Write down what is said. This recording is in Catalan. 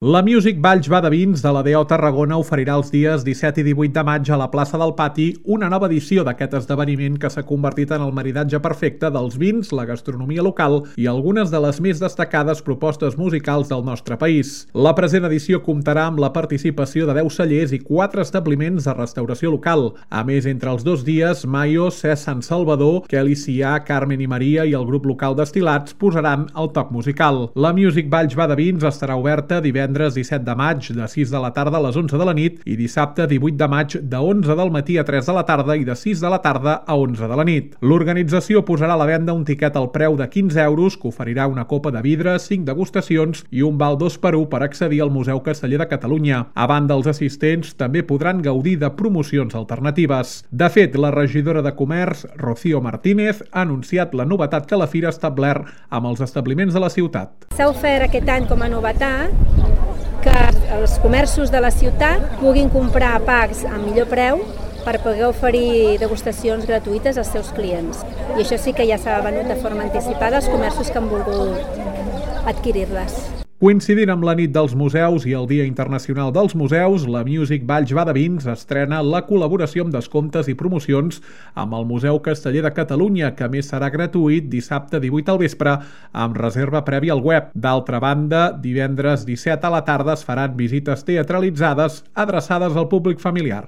La Music Valls Va de Vins de l'ADO Tarragona oferirà els dies 17 i 18 de maig a la plaça del Pati una nova edició d'aquest esdeveniment que s'ha convertit en el maridatge perfecte dels vins, la gastronomia local i algunes de les més destacades propostes musicals del nostre país. La present edició comptarà amb la participació de 10 cellers i 4 establiments de restauració local. A més, entre els dos dies, Mayo, Cés Sant Salvador, Kelly Cià, Carmen i Maria i el grup local d'estilats posaran el toc musical. La Music Valls Va de Vins estarà oberta divendres 17 de maig de 6 de la tarda a les 11 de la nit i dissabte 18 de maig de 11 del matí a 3 de la tarda i de 6 de la tarda a 11 de la nit. L'organització posarà a la venda un tiquet al preu de 15 euros que oferirà una copa de vidre, 5 degustacions i un val 2x1 per accedir al Museu Casteller de Catalunya. A banda, els assistents també podran gaudir de promocions alternatives. De fet, la regidora de Comerç, Rocío Martínez, ha anunciat la novetat que la fira ha establert amb els establiments de la ciutat. S'ha ofert aquest any com a novetat que els comerços de la ciutat puguin comprar packs a millor preu per poder oferir degustacions gratuïtes als seus clients. I això sí que ja s'ha venut de forma anticipada als comerços que han volgut adquirir-les. Coincidint amb la nit dels museus i el Dia Internacional dels Museus, la Music Valls Va de Vins estrena la col·laboració amb descomptes i promocions amb el Museu Casteller de Catalunya, que a més serà gratuït dissabte 18 al vespre amb reserva prèvia al web. D'altra banda, divendres 17 a la tarda es faran visites teatralitzades adreçades al públic familiar.